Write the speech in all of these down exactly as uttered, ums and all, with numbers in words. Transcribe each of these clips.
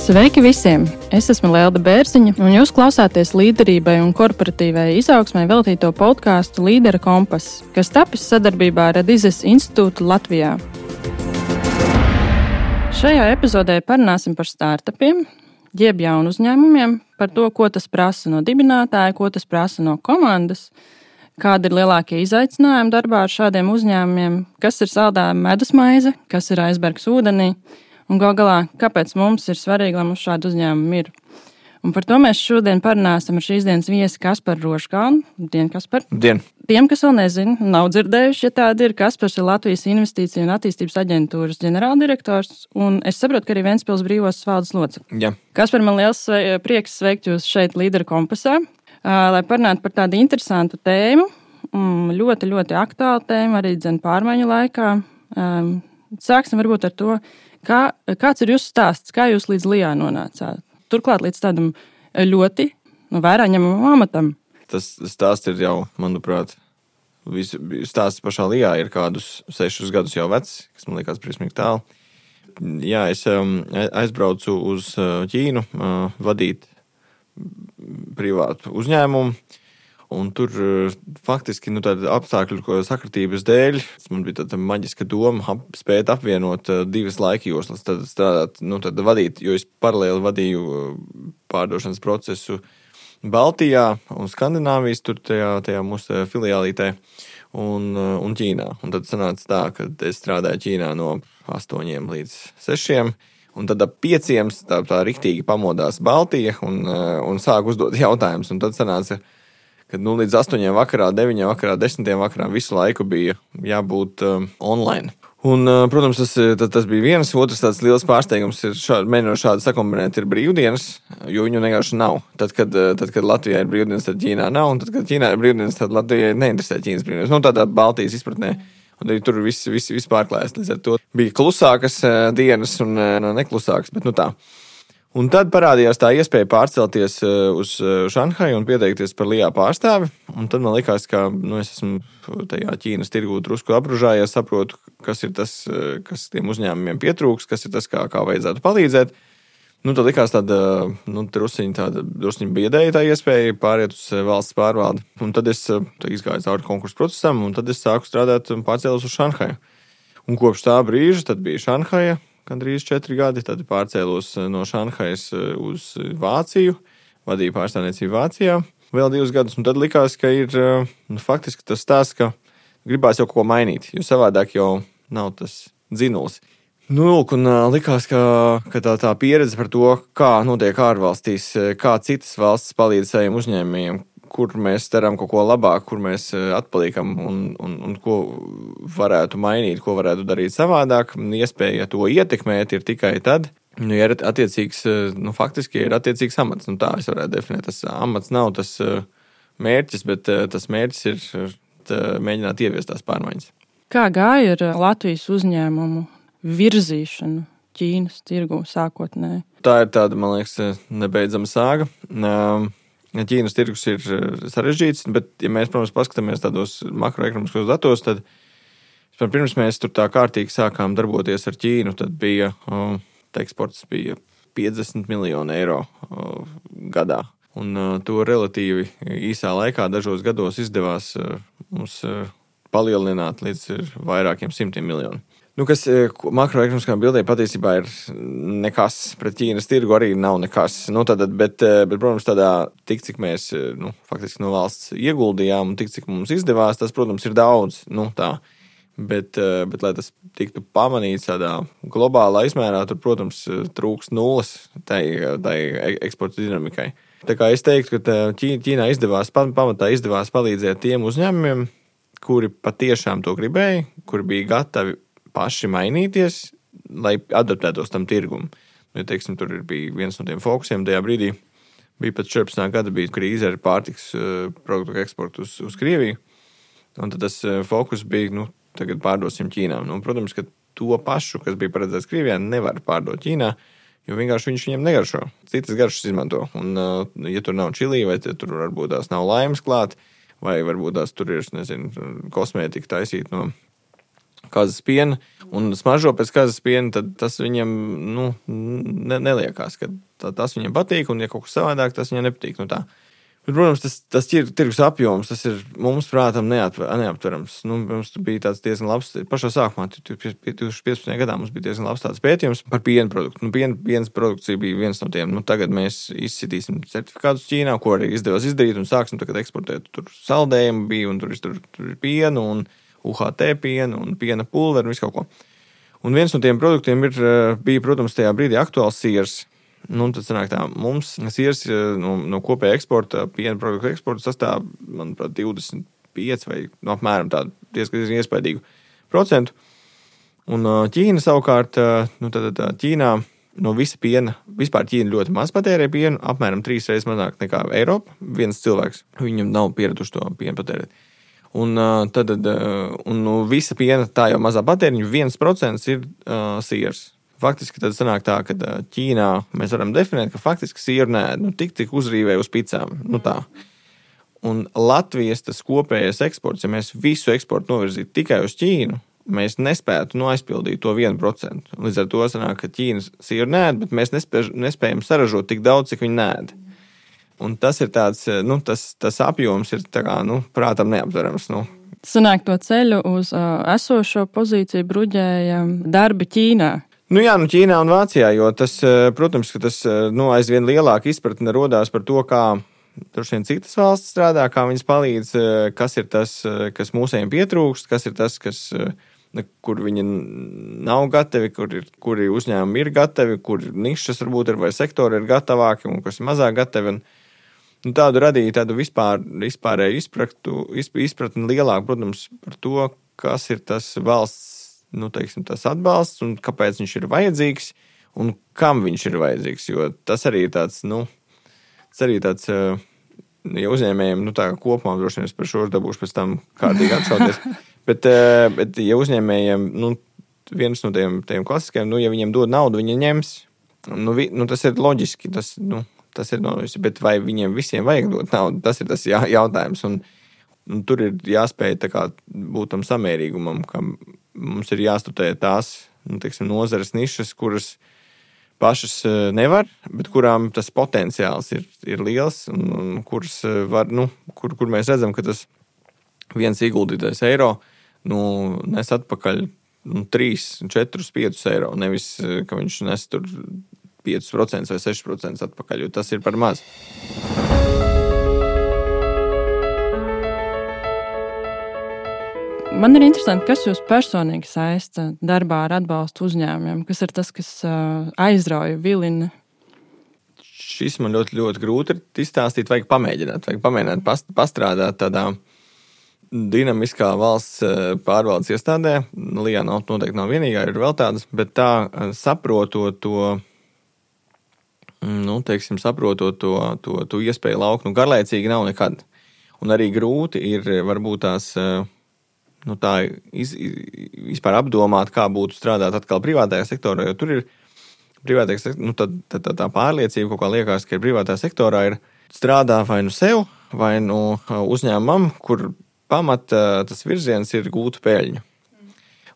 Sveiki visiem! Es esmu Lelda Bērziņa, un jūs klausāties līderībai un korporatīvai izaugsmai veltīto podkāstu Līdera kompass, kas tapis sadarbībā ar Adizes institūtu Latvijā. Šajā epizodē parunāsim par startupiem, jeb jaunu uzņēmumiem, par to, ko tas prasa no dibinātāja, ko tas prasa no komandas, kādi ir lielākie izaicinājumi darbā ar šādiem uzņēmumiem, kas ir saldā medusmaize, kas ir aizbergs ūdenī, un gal galā, kāpēc mums ir svarīgi, lai mums šādi uzņēmumi ir. Un par to mēs šodien parunāsim ar šīs dienas viesi Kasparu Rožkalnu. Dien, Kaspar. Dien. Tiem, kas vēl nezina, nav dzirdējuši, ja tāda ir, Kaspars ir Latvijas Investīciju un attīstības aģentūras ģenerāldirektors, un es saprotu, ka arī Ventspils brīvos valdes loceklis. Jā. Kaspar, man liels prieks sveikt jūs šeit Līdera kompasā, lai parunātu par tādu interesantu tēmu, ļoti, ļoti aktuālu tēmu, arī dzen pārmaiņu laikā. Sāksim varbūt ar to, Kā, kāds ir jūsu stāsts? Kā jūs līdz Lijā nonācāt? Turklāt līdz tādam ļoti nu, vērā ņemamam amatam. Tas stāsts ir jau, manuprāt, visu, stāsts pašā Lijā ir kādus sešus gadus jau vecs, kas man liekas briesmīgi tālu. Jā, es um, aizbraucu uz Ķīnu uh, vadīt privātu uzņēmumu. Un tur faktiski nu, apstākļu sakritības dēļ man bija tāda maģiska doma ap, spēt apvienot divas laikjoslas, tad strādāt, nu, tad vadīt, jo es paralēli vadīju pārdošanas procesu Baltijā un Skandināvijas, tur tajā, tajā mūsu filiālītē un, un Ķīnā. Un tad sanāca tā, ka es strādāju Ķīnā no astoņiem līdz sešiem, un tad ap pieciem tā, tā riktīgi pamodās Baltija un, un sāk uzdot jautājumus, un tad sanāca, kad nu, līdz astoņiem vakarā, deviņiem vakarā, desmitiem vakarā visu laiku bija jābūt um, online. Un, uh, protams, tas, tas, tas bija viens. Otrs tāds liels pārsteigums ir šādi, mēģinot šādi sakombinēt ir brīvdienas, jo viņu vienkārši nav. Tad, kad, tad, kad Latvijā ir brīvdienas, tad Ķīnā nav, un tad, kad Ķīnā ir brīvdienas, tad Latvijai neinteresē Ķīnas brīvdienas. Nu, tādā Baltijas izpratnē. Un arī tur viss, viss, viss pārklājas. Līdz ar to bija klusākas uh, dienas un uh, neklusākas, bet nu tā. Un tad parādījās tā iespēja pārcelties uz Šanhaju un pieteikties par Lijā pārstāvi. Un tad man likās, ka nu, es esmu tajā Ķīnas tirgū drusku apružājies, saprotu, kas ir tas, kas tiem uzņēmumiem pietrūks, kas ir tas, kā, kā vajadzētu palīdzēt. Nu, tad likās tāda, nu, drusiņa tāda, drusiņa biedēja tā iespēja pāriet uz valsts pārvaldi. Un tad es izgāju cauri konkursu procesam, un tad es sāku strādāt un pārcēlos uz Šanhaju. Un kopš tā brīža tad bija Šanhaja. Gandrīz četri gadi, tad pārcēlos no Šanhajas uz Vāciju, vadīju pārstāvniecību Vācijā vēl divus gadus, un tad likās, ka ir nu, faktiski tas stāsts, ka gribās jau ko mainīt, jo savādāk jau nav tas dzinulis. Nu, lūk, un likās, ka, ka tā, tā pieredze par to, kā notiek ārvalstīs, kā citas valstis palīdz saviem uzņēmējiem, kur mēs darām kaut ko labāk, kur mēs atpaliekam un, un, un ko varētu mainīt, ko varētu darīt savādāk. Iespēja to ietekmēt ir tikai tad, nu, ja ir attiecīgs, nu, faktiski ir attiecīgs amats. Nu, tā es varētu definēt. Tas amats nav tas mērķis, bet tas mērķis ir mēģināt ieviest tās pārmaiņas. Kā gāja ar Latvijas uzņēmumu virzīšanu Ķīnas tirgu sākotnēji? Tā ir tāda, man liekas, nebeidzama sāga. Ķīnas tirgus ir sarežģīts, bet, ja mēs, protams, paskatāmies tādos makroekonomiskos datos, tad pirms mēs tur tā kārtīgi sākām darboties ar Ķīnu, tad bija, tā eksports bija piecdesmit miljoni eiro gadā. Un to relatīvi īsā laikā dažos gados izdevās mums palielināt līdz vairākiem simtiem miljonu. Nu, kas makroekonomiskā bildē patiesībā ir nekas, pret Ķīnas tirgu arī nav nekas. Nu, tad, bet, bet, protams, tādā tik, cik mēs nu, faktiski no valsts ieguldījām un tik, cik mums izdevās, tas, protams, ir daudz. Nu, tā. Bet, bet, lai tas tiktu pamanīts tādā globālā izmērā, tur, protams, trūks nulles tai, tai eksporta dinamikai. Tā kā es teiktu, ka Ķīnā izdevās, pamatā izdevās palīdzēt tiem uzņēmumiem, kuri patiešām to gribēja, kuri bija gatavi paši mainīties, lai adaptētos tam tirgumam. Ja, teiksim, tur bija viens no tiem fokusiem tajā brīdī. Bija pat četrpadsmitā gada bija krīze ar pārtiks produktu eksportu uz, uz Krieviju. Un tad tas fokus bija, nu, tagad pārdosim Ķīnā. Nu, protams, ka to pašu, kas bija paredzēts Krievijā, nevar pārdot Ķīnā, jo vienkārši viņš viņiem negaršo. Citas garšas izmanto. Un, ja tur nav čilī, vai tur varbūt tās nav laimes klāt, vai varbūt tās tur ir, nezinu, kosmētika taisīt no kazas piena un smaržo pēc kazas piena, tad tas viņam nu, ne, neliekās, ka tas viņam patīk, un ja kaut kas savādāk, tas viņam nepatīk. Nu, tā. Bet, protams, tas, tas tirgus apjoms, tas ir mums prātam neatver, neaptverams. Nu, mums bija tāds diezgan labs, pašā sākumā, divtūkstoš piecpadsmitajā gadā mums bija diezgan labs tāds pētījums par piena produktu. Nu, piena, pienas produkcija bija viens no tiem. Nu, tagad mēs izsitīsim certifikātus Ķīnā, ko arī izdevās izdarīt, un sāksim tagad eksportēt. Tur saldējumi bija, un tur, tur, tur ir pienu, un U H T pienu, un piena pulveri, un visu kaut ko. Un viens no tiem produktiem ir, bija, protams, tajā brīdī aktuāls siers. Nu, tad sanāk tā, mums siers no, no kopēja eksporta, piena produktu eksporta sastāv, manuprāt, divdesmit pieci vai no apmēram tādu diezgan iespaidīgu procentu. Un Ķīna savukārt, nu, tad, tad Ķīnā no visa piena, vispār Ķīna ļoti maz patērē pienu, apmēram trīs reizes mazāk nekā Eiropa. Viens cilvēks, viņam nav pieraduši to pienu patērēt. Un tad, un no visa piena tā jau mazā patēriņa, viens procents ir uh, siers. Faktiski tad sanāk tā, ka Ķīnā mēs varam definēt, ka faktiski sieru nēd, nu tik tik uzrīvē uz picām, nu tā. Un Latvijas tas kopējais eksports, ja mēs visu eksportu novirzītu tikai uz Ķīnu, mēs nespētu nu aizpildīt to vienu procentu. Līdz ar to sanāk, ka Ķīnas sieru nēd, bet mēs nespēj, nespējam saražot tik daudz, cik viņi nēd. Un tas ir tāds, nu tas, tas apjoms ir tā kā, nu, prātam neaptverams, nu. Sanāk to ceļu uz uh, esošo pozīciju bruģēja darbi Ķīnā. Nu jā, nu Ķīnā un Vācijā, jo tas, protams, ka tas nu, aizvien lielāka izpratne rodās par to, kā droši vien citas valsts strādā, kā viņas palīdz, kas ir tas, kas mūsējiem pietrūkst, kas ir tas, kas, kur viņi nav gatavi, kur ir, kuri uzņēmumi ir gatavi, kur nišas varbūt ir vai sektori ir gatavāki un kas ir mazāk gatavi. Un, nu, tādu radīja tādu vispār, vispārēju izpratni, izpratni lielāku, protams, par to, kas ir tas valsts, nu, teiksim, tas atbalsts un kāpēc viņš ir vajadzīgs un kam viņš ir vajadzīgs, jo tas arī ir tāds, nu, tas arī tāds, ja uzņēmējiem, nu, tā kā kopumā droši vien es par šo dabūšu pēc tam kārtīgi atšauties, bet, bet, ja uzņēmējiem, nu, viens no tiem, tiem klasiskajiem, nu, ja viņiem dod naudu, viņi ņems, nu, vi, nu tas ir loģiski, tas, nu, tas ir loģiski, bet vai viņiem visiem vajag dot naudu, tas ir tas jā, jautājums, un, un tur ir jāspēj tā kā būt tam samērīgumam, kam mums ir jāstudē tās, nu, teiksim, nozares nišas, kuras pašas nevar, bet kurām tas potenciāls ir, ir liels un, un kuras var, nu, kur, kur mēs redzam, ka tas viens ieguldītais eiro, nu, nes atpakaļ nu, trīs, četrus, piecus eiro, nevis, ka viņš nes tur piecus procentus vai sešus procentus atpakaļ, jo tas ir par maz. Man ir interesanti, kas jūs personīgi saista darbā ar atbalstu uzņēmumiem, kas ir tas, kas aizrauja, vilina? Šis man ļoti, ļoti grūti ir izstāstīt, vajag pamēģināt, vajag pamēģināt past, pastrādāt tādā dinamiskā valsts pārvaldes iestādē. Lijā nav, noteikti nav vienīgā, ir vēl tādas, bet tā saprotot to, nu, teiksim, saprotot to, to, to iespēju lauku, nu, garlaicīgi nav nekad. Un arī grūti ir varbūt tās nu, tā iz, vispār apdomāt, kā būtu strādāt atkal privātajā sektorā, jo tur ir privātajā sektorā, nu, tad, tad, tā, tā pārliecība, kaut kā liekas, ka ir privātajā sektorā ir strādā vai nu sev, vai nu uzņēmumam, kur pamat tas virziens ir gūt peļņu.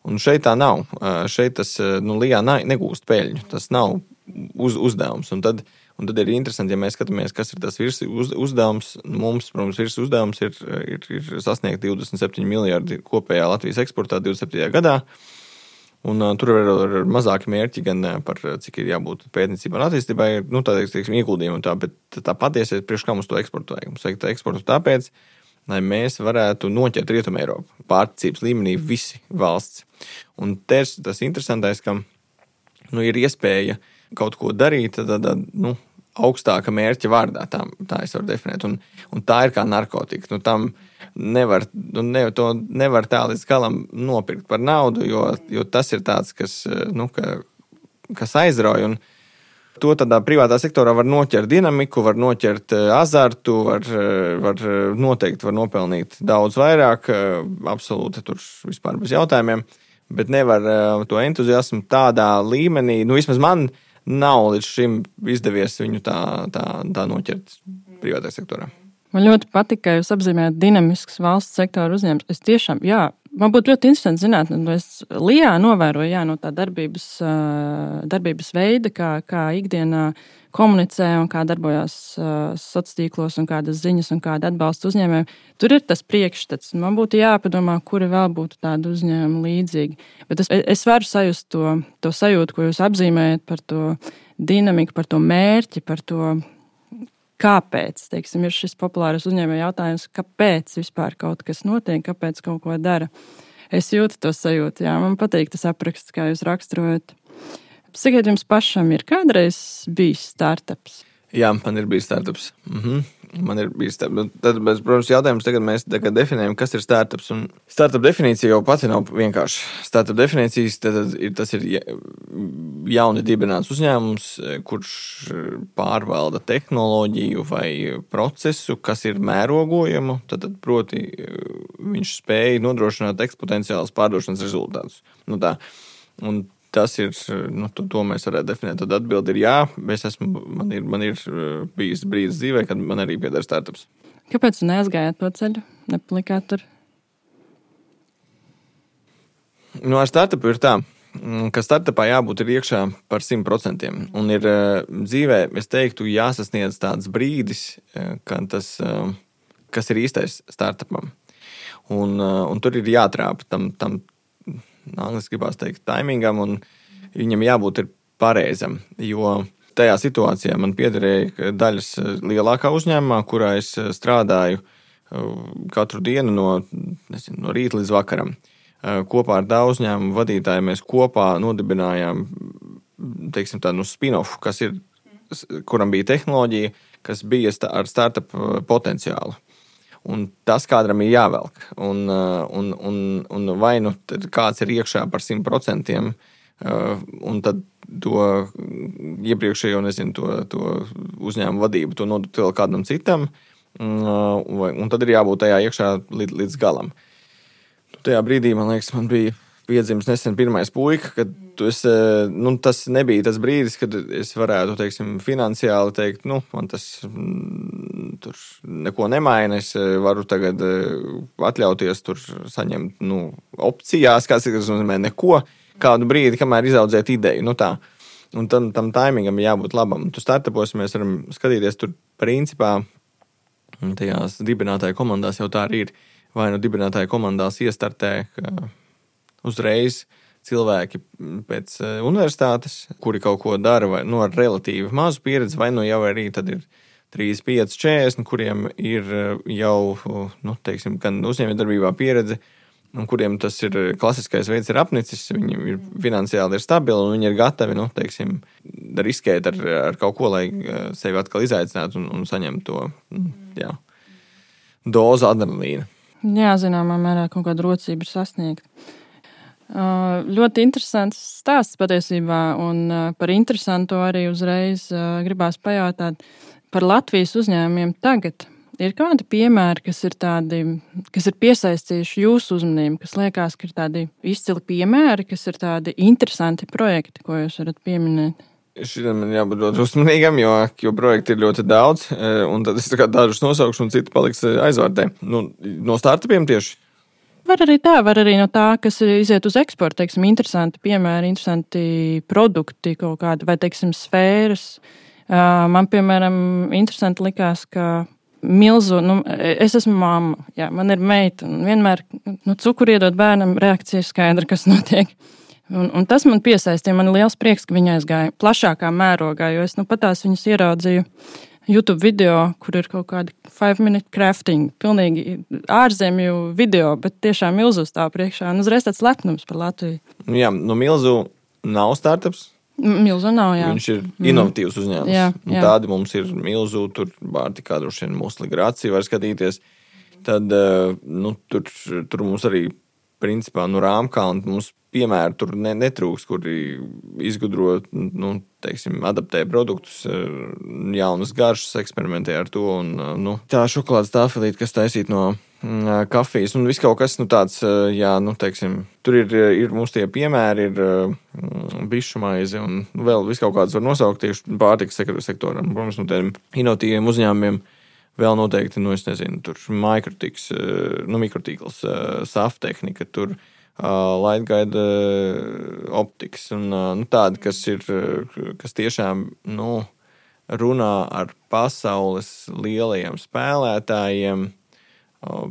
Un šeit tā nav. Šeit tas, nu, Lijā negūst peļņu. Tas nav uz, uzdevums. Un tad, un tad ir interesanti, ja mēs skatāmies, kas ir tas virs uz, uzdevums. Mums, protams, virs uzdevums ir, ir, ir sasniegt divdesmit septiņi miljardi kopējā Latvijas eksportā divdesmit septītajā gadā. Un uh, tur ir, ir mazāki mērķi gan par cik ir jābūt pētniecībai un attīstībai, nu, tā, teiksim, ieguldījumi un tā, bet tā patiesi ir priekš kā mums to eksportu vajag. Mums vajag tā eksportu tāpēc, lai mēs varētu noķert Rietumu Eiropu. Pārticības līmenī visi valsts. Un tas tas interesantais, ka nu, ir iespēja kaut ko darīt tad, tad, nu, augstāka mērķa vārdā. Tā, tā es varu definēt. Un, un tā ir kā narkotika. Nu, tam nevar, nu, ne, to nevar tā līdz galam nopirkt par naudu, jo, jo tas ir tāds, kas, nu, ka, kas aizrauj. Un to tādā privātā sektorā var noķert dinamiku, var noķert azartu, var, var noteikti var nopelnīt daudz vairāk, absolūti tur vispār bez jautājumiem, bet nevar to entuziasmu tādā līmenī, nu vismaz man nav līdz šim izdevies viņu tā, tā, tā noķert privātā sektorā. Man ļoti patika, ka jūs apzīmējat dinamisks valsts sektora uzņēmums. Es tiešām, jā, Man būtu ļoti interesanti zināt, nu, es Lijā novēroju jā, no tā darbības, darbības veida, kā, kā ikdienā komunicē un kā darbojās sociālos tīklos un kādas ziņas un kāda atbalsta uzņēmējiem. Tur ir tas priekšstats. Man būtu jāpadomā, kuri vēl būtu tādi uzņēmumi līdzīgi. Bet es, es varu sajust to, to sajūtu, ko jūs apzīmējat par to dinamiku, par to mērķi, par to, kāpēc, teiksim, ir šis populārais uzņēmēju jautājums, kāpēc vispār kaut kas notiek, kāpēc kaut ko dara. Es jūtu to sajūtu, jā, man patīk tas apraksts, kā jūs raksturojat. Sakiet, jums pašam ir kādreiz bijis startups? Jā, man ir bijis startups. Mhm. Man ir bijis startups. Tad, protams, jautājums tagad mēs tagad definējam, kas ir startups. Un startup definīcija jau pati nav vienkārši. Startup definīcijas tad ir, tas ir jauni dibināts uzņēmums, kurš pārvalda tehnoloģiju vai procesu, kas ir mērogojamu. Tad, proti, viņš spēja nodrošināt eksponenciālus pārdošanas rezultātus. Nu tā. Un tas ir, nu, to, to mēs varētu definēt. Tad atbildi ir jā, es esmu, man ir, man ir bijis brīdis dzīvē, kad man arī pieder startups. Kāpēc neaizgājāt to ceļu? Nepalikāt tur? Nu, ar startupu ir tā, ka startupā jābūt ir iekšā par simt procentiem. Un ir dzīvē, es teiktu, jāsasniedz tāds brīdis, kad tas, kas ir īstais startupam. Un, un tur ir jātrāpa tam, tam angliski gribās teikt, taimingam, un viņam jābūt ir pareizam, jo tajā situācijā man piederēja daļas lielākā uzņēmumā, kurā es strādāju katru dienu no, nezinu, no rīta līdz vakaram. Kopā ar tā uzņēmumu vadītāju mēs kopā nodibinājām, teiksim tā, nu spin-off, kas ir, kuram bija tehnoloģija, kas bija ar startup potenciālu. Un tas kādam ir jāvelk. Un, un, un, un vai nu kāds ir iekšā par simt procentiem, un tad to iepriekšējo, nezinu, to, to uzņēmumu vadību, to nodot vēl kādam citam, un tad ir jābūt tajā iekšā līdz, līdz galam. Tajā brīdī, man liekas, man bija piedzimis nesen pirmais puika, kad es, nu, tas nebija tas brīdis, kad es varētu, teiksim, finansiāli teikt, nu, man tas mm, tur neko nemaina, es varu tagad atļauties tur saņemt, nu, opcijās, kas ir, kas nozīmē neko, kādu brīdi, kamēr izaudzēt ideju, nu tā. Un tam, tam taimingam jābūt labam. Tu startupos mēs varam skatīties tur principā, tajās dibinātāju komandās jau tā arī ir, vai nu dibinātāju komandās iestartē, ka uzreiz cilvēki pēc universitātes, kuri kaut ko dara vai, nu, ar relatīvi mazu pieredzi, vai nu jau arī tad ir trīsdesmit pieci, četrdesmit, kuriem ir jau, nu, teiksim, gan uzņēmējdarbībā pieredze, un kuriem tas ir klasiskais veids ir apnicis, viņi ir finansiāli ir stabili, un viņi ir gatavi, nu, teiksim, riskēt ar, ar kaut ko, lai sevi atkal izaicinātu un, un saņemtu to, jā, dozu adrenalīna. Jā, zināmā mērā kaut kāda rocība ir sasniegta. Uh, ļoti interesants stāsts patiesībā, un uh, par interesantu arī uzreiz uh, gribās pajautāt par Latvijas uzņēmumiem tagad. Ir kādi piemēri, kas ir tādi, kas ir piesaistījuši jūsu uzmanību, kas liekas, ka ir tādi izcili piemēri, kas ir tādi interesanti projekti, ko jūs varat pieminēt? Šitiem man jābūt ļoti uzmanīgam, jo, jo projekti ir ļoti daudz, un tad es tā kā dažus nosaukšu, un citi paliks aizvārtē. Nu, no startupiem tieši? Var arī tā, var arī no tā, kas iziet uz eksportu, teiksim, interesanti piemēri, interesanti produkti kaut kādi, vai, teiksim, sfēras. Man, piemēram, interesanti likās, ka milzu, nu, es esmu mamma, jā, man ir meita, un vienmēr, nu, cukuru iedot bērnam, reakcija ir skaidra, kas notiek. Un, un tas man piesaistīja, man ir liels prieks, ka viņa aizgāja plašākā mērogā, jo es, nu, patās viņas ieraudzīju YouTube video, kur ir kaut kādi five minute crafting, pilnīgi ārzemju video, bet tiešām milzu stāv priekšā. Un uzreiz tāds lepnums par Latviju. Jā, nu milzu nav startups. Milzu nav, jā. Viņš ir inovatīvs uzņēmums. Jā, jā. Tādi mums ir milzu, tur Bārtikā droši vien mūsu migrācija var skatīties. Tad, nu, tur, tur mums arī principā, nu, rāmkā un mums piemēri tur ne, netrūks, kuri izgudro, nu, teiksim, adaptē produktus, jaunas garšas, eksperimentē ar to. Un, nu, tā šokolādes tāfelīte, kas taisīt no kafijas, un viss kaut kas, nu, tāds, jā, nu, teiksim, tur ir, ir mums tie piemēri, ir bišu maize, un vēl viss kaut kāds var nosaukt tieši pārtikas sektoram. Protams, no tiem inovatīviem uzņēmumiem Vēl noteikti, nu, es nezinu, tur mikrotiks, nu, mikrotīkls, saftehnika, tur lightguide optikas un nu, tādi, kas ir, kas tiešām, nu, runā ar pasaules lielajiem spēlētājiem,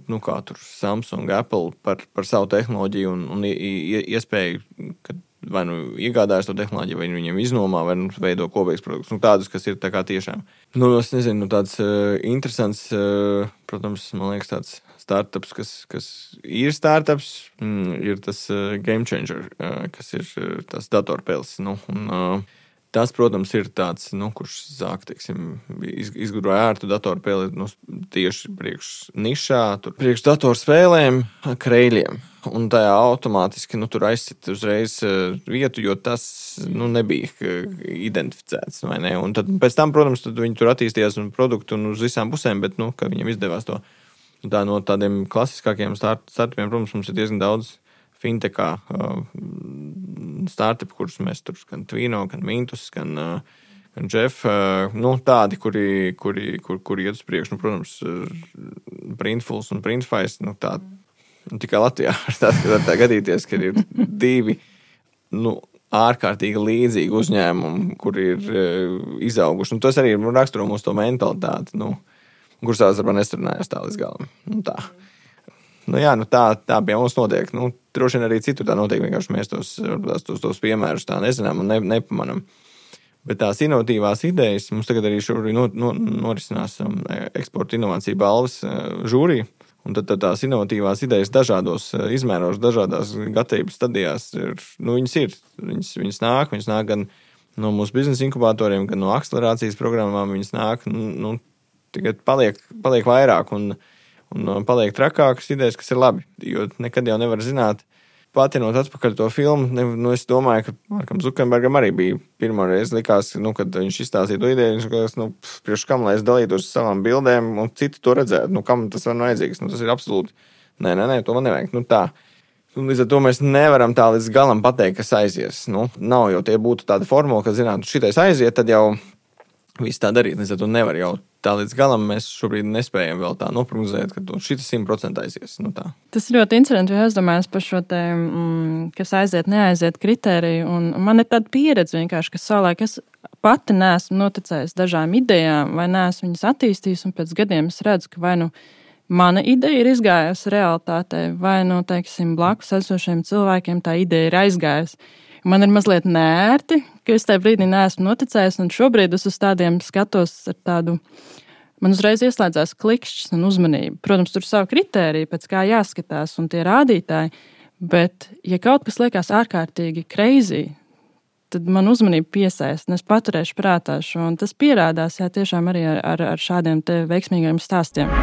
nu, kā tur Samsung, Apple par, par savu tehnoloģiju un, un iespēju, ka vai nu iegādājas to tehnoloģiju, vai viņiem iznomā, vai nu veido kopīgus produktus. Nu, tādus, kas ir tā kā tiešām. Nu, es nezinu, nu, tāds uh, interesants, uh, protams, man liekas, tāds startups, kas, kas ir startups, mm, ir tas uh, Game Changer, uh, kas ir uh, tas datorpēles. Nu, un, uh, tas, protams, ir tāds, nu, kurš sāk, teiksim, izgudroja ērtu datorpēli nu, tieši priekš nišā, tur priekš datorspēlēm, kreļiem. Un tajā automātiski nu, tur aizsit uzreiz vietu, jo tas nu, nebija identificēts. Vai ne? Un tad pēc tam, protams, tad viņi tur attīstījās un produktu un uz visām pusēm, bet nu, ka viņiem izdevās to. Tā, no tādiem klasiskākiem start, startupiem, protams, mums ir diezgan daudz fintechā uh, startupi, kurus mēs tur gan Twino, gan Mintus, gan, uh, gan Jeff, uh, nu, tādi, kuri, kuri, kur, kuri iet uz priekšu, nu, protams, Printfuls un Printfais, nu, tādi. Un tikai Latvijā var tā, tā gadīties, ka ir divi nu, ārkārtīgi līdzīgi uzņēmumi, kur ir uh, izauguši. Un tas arī raksturo mūsu to mentalitāti, nu, kurš tās varbūt nestrunājās tā līdz galam. Nu, tā. Nu, jā, nu, tā, tā pie mums notiek. Nu, droši vien arī citur tā notiek, vienkārši mēs tos, tos, tos piemērus tā nezinām un ne, nepamanam. Bet tās inovatīvās idejas, mums tagad arī šobrīd no, no, norisinās um, eksporta inovācija balvas uh, žūrija. Un tad, tad tās inovatīvās idejas dažādos izmēros, dažādās gatavības stadijās, ir, nu, viņas ir. Viņas, viņas nāk, viņas nāk gan no mūsu biznesa inkubatoriem, gan no akcelerācijas programmām. Viņas nāk, nu, tikai paliek, paliek vairāk un, un paliek trakākas idejas, kas ir labi. Jo nekad jau nevar zināt, patinot atpakaļ to filmu, ne, nu, es domāju, ka Markam Zukenbergam arī bija pirmo reizi likās, nu, kad viņš izstāstīja to ideju, viņš likās, nu, priekš kam, lai es dalītos savām bildēm, un citi to redzētu, nu, kam tas var vajadzīgs, nu, tas ir absolūti, nē, nē, nē, to man nevajag, nu, tā. Un līdz ar to mēs nevaram tā līdz galam pateikt, kas aizies, nu, nav jau tie būtu tāda formula, ka, zināt, šitais aiziet, tad jau viss tā darīt, līdz ar to nevar jau tā līdz galam mēs šobrīd nespējam vēl tā noprognozēt, ka šis simt procenti aizies. Nu tā. Tas ir ļoti interesanti, jo es domāju par šo te, mm, kas aiziet, neaiziet kritēriju. Un man ir tāda pieredze vienkārši, ka savulaik es pati neesmu noticējis dažām idejām vai neesmu viņas attīstījis, un pēc gadiem es redzu, ka vai nu mana ideja ir izgājusi realitātē, vai nu, teiksim, blakus esošiem cilvēkiem tā ideja ir aizgājusi. Man ir mazliet nērti, ka es tajā brīdī neesmu noticējis, un šobrīd es uz tādiem skatos ar tādu, man uzreiz ieslēdzās klikšķis un uzmanība. Protams, tur ir savu kritēriju, pēc kā jāskatās, un tie rādītāji, bet, ja kaut kas liekas ārkārtīgi crazy, tad man uzmanība piesaist, un es paturēšu prātā šo, un tas pierādās, jā, tiešām arī ar, ar, ar šādiem te veiksmīgiem stāstiem.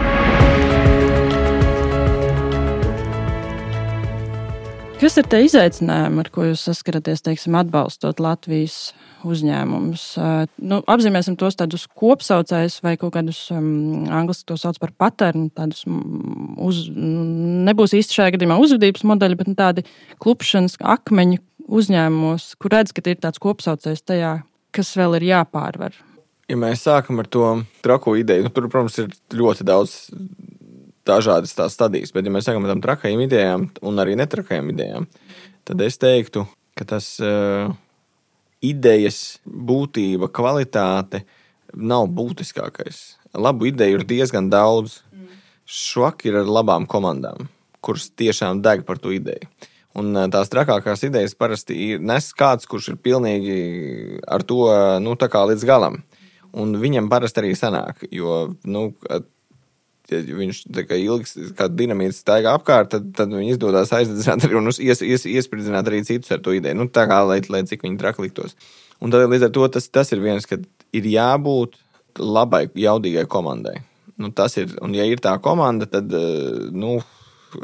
Kas ir tie izaicinājumi, ar ko jūs saskaraties, teiksim, atbalstot Latvijas uzņēmumus? Nu, apzīmēsim tos tādus kopsaucējus vai kaut kādus, um, angliski to sauc par paternu, tādus uz, nebūs īsti šajā gadījumā uzvedības modeļi, bet tādi klupšanas akmeņu uzņēmumos, kur redz, ka ir tāds kopsaucējs tajā, kas vēl ir jāpārvar. Ja mēs sākam ar to trako ideju, nu, tur, protams, ir ļoti daudz dažādas tās stadijas, bet ja mēs sākam ar tām trakajām idejām un arī netrakajām idejām, tad es teiktu, ka tas uh, idejas būtība, kvalitāte nav būtiskākais. Labu ideju ir diezgan daudz. Švaki ir ar labām komandām, kuras tiešām deg par to ideju. Un uh, tās trakākās idejas parasti ir nes kāds, kurš ir pilnīgi ar to, nu, tā kā līdz galam. Un viņam parasti arī sanāk, jo, nu, ja viņš tā kā ilgs, kā dinamīts staigā apkārt, tad, tad viņi izdodās aizdedzināt arī un ies, ies, iespridzināt arī citus ar to ideju. Nu, tā kā, lai, lai cik viņi traki liktos. Un tad līdz ar to tas, tas ir viens, ka ir jābūt labai, jaudīgai komandai. Nu, tas ir, un ja ir tā komanda, tad, nu,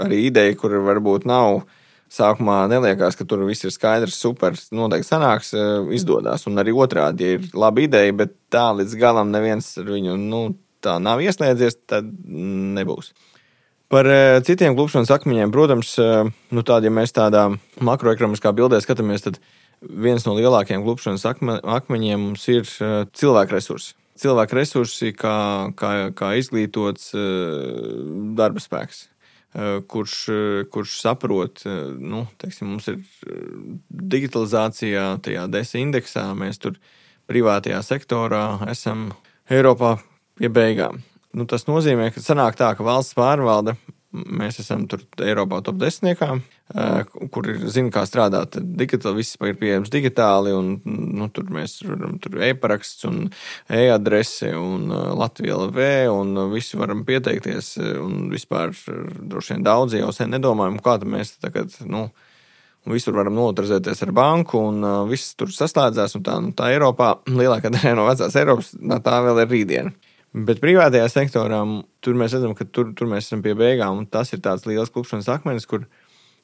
arī ideja, kur varbūt nav, sākumā neliekās, ka tur viss ir skaidrs, super, noteikti sanāks, izdodās. Un arī otrādi, ja ir laba ideja, bet tā līdz galam neviens ar viņu, nu, tā nav ieslēdzies, tad nebūs. Par uh, citiem klupšanas akmeņiem, protams, uh, nu tādi, ja mēs tādā makroekonomiskā bildē skatāmies, tad viens no lielākajiem klupšanas akme, akmeņiem mums ir uh, cilvēku resursi. cilvēku resursi kā, kā, kā izglītots darba spēks, kurš, kurš saprot, nu, teiksim, mums ir digitalizācijā, tajā DESA indeksā, mēs tur privātajā sektorā esam Eiropā pie beigām. Nu, tas nozīmē, ka sanāk tā, ka valsts pārvalde, mēs esam tur Eiropā top desmitniekā, kur ir zina, kā strādāt digitāli, viss ir pieejams digitāli, un nu, tur mēs varam tur e-paraksts un e-adrese un Latvija L V, un visi varam pieteikties, un vispār droši vien daudzi jau sen nedomājam, kā tad mēs tagad, nu, visur varam notarizēties ar banku, un viss tur saslēdzās, un tā, nu, tā Eiropā, lielākā daļa no vecās Eiropas, tā vēl ir rītdiena. Bet privātajā sektorā tur mēs redzam, ka tur, tur mēs esam pie beigām, un tas ir tāds liels klupšanas akmenis, kur,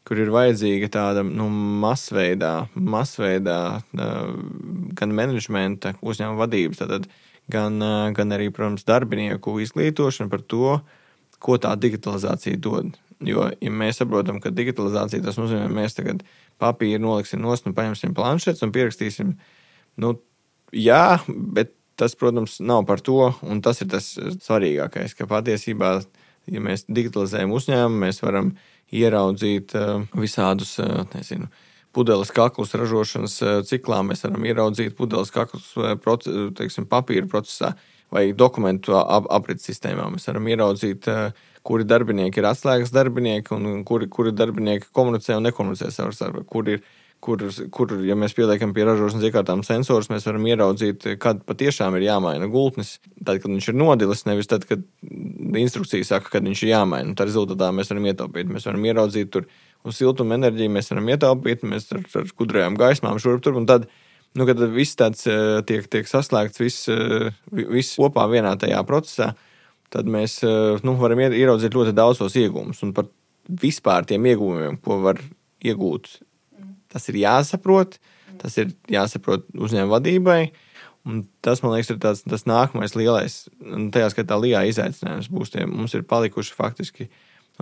kur ir vajadzīga tāda nu, masveidā, masveidā gan menedžmenta, uzņēmuma vadības, tātad, gan, gan arī, protams, darbinieku izglītošana par to, ko tā digitalizācija dod. Jo, ja mēs saprotam, ka digitalizācija tas nozīmē, mēs tagad papīru noliksim nost un paņemsim planšetes un pierakstīsim, nu, jā, bet tas, protams, nav par to, un tas ir tas svarīgākais, ka patiesībā, ja mēs digitalizējam uzņēmumu, mēs varam ieraudzīt visādus, nezinu, pudeles kaklus ražošanas ciklā, mēs varam ieraudzīt pudeles kaklus, teiksim, papīra procesā vai dokumentu aprits sistēmā. Mēs varam ieraudzīt, kuri darbinieki ir atslēgas darbinieki un kuri, kuri darbinieki komunicē un nekomunicē savā starpā, kur ir Kur, kur, ja mēs pieliekam pie ražošanas iekārtām sensors, mēs varam ieraudzīt, kad patiešām ir jāmaina gultnis. Tad, kad viņš ir nodilis, nevis tad, kad instrukcija saka, kad viņš ir jāmaina. Tā rezultātā mēs varam ietaupīt. Mēs varam ieraudzīt tur uz siltuma enerģiju, mēs varam ietaupīt, mēs ar, ar kudrajām gaismām šurp tur. Un tad, nu, kad viss tāds tiek, tiek saslēgts, viss, viss kopā vienā tajā procesā, tad mēs nu, varam ieraudzīt ļoti daudzos iegūmus. Un par vispār tiem iegūmiem, ko var iegūt, tas ir jāsaprot, tas ir jāsaprot uzņēmuma vadībai, un tas, man liekas, ir tāds, tas nākamais lielais, un tajā skatā lielā izaicinājums būs tie, mums ir palikuši faktiski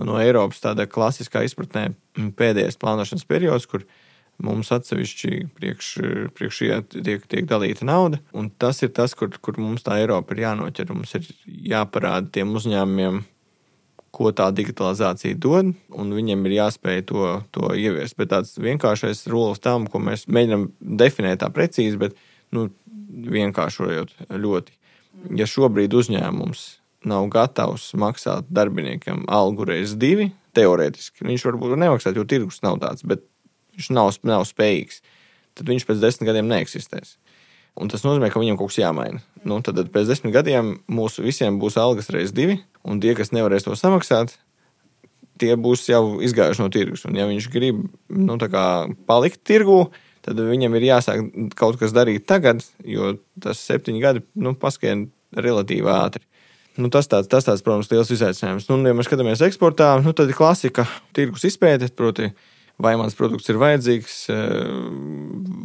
no Eiropas tāda klasiskā izpratnē pēdējais plānošanas periods, kur mums atsevišķi priekš, priekš tiek, tiek dalīta nauda, un tas ir tas, kur, kur mums tā Eiropa ir jānoķer, mums ir jāparāda tiem uzņēmumiem, ko tā digitalizācija dod, un viņiem ir jāspēj to, to ieviest. Bet tāds vienkāršais rules tam, ko mēs mēģinām definēt tā precīzi, bet nu, vienkāršojot ļoti. Ja šobrīd uzņēmums nav gatavs maksāt darbiniekam algu reiz divi, teorētiski, viņš varbūt nemaksāt, jo tirgus nav tāds, bet viņš nav, nav spējīgs, tad viņš pēc desmit gadiem neeksistēs. Un tas nozīmē, ka viņam kaut kas jāmaina. Nu, tad pēc desmit gadiem mūsu visiem būs algas reiz divi, un tie, kas nevarēs to samaksāt, tie būs jau izgājuši no tirgus. Un ja viņš grib nu, tā kā palikt tirgū, tad viņam ir jāsāk kaut kas darīt tagad, jo tas septiņi gadi nu, paskrien relatīvi ātri. Nu, tas, tāds, tas tāds, protams, liels izaicinājums. Nu, ja mēs skatāmies eksportā, nu, tad ir klasika tirgus izpēte, proti, vai mans produkts ir vajadzīgs,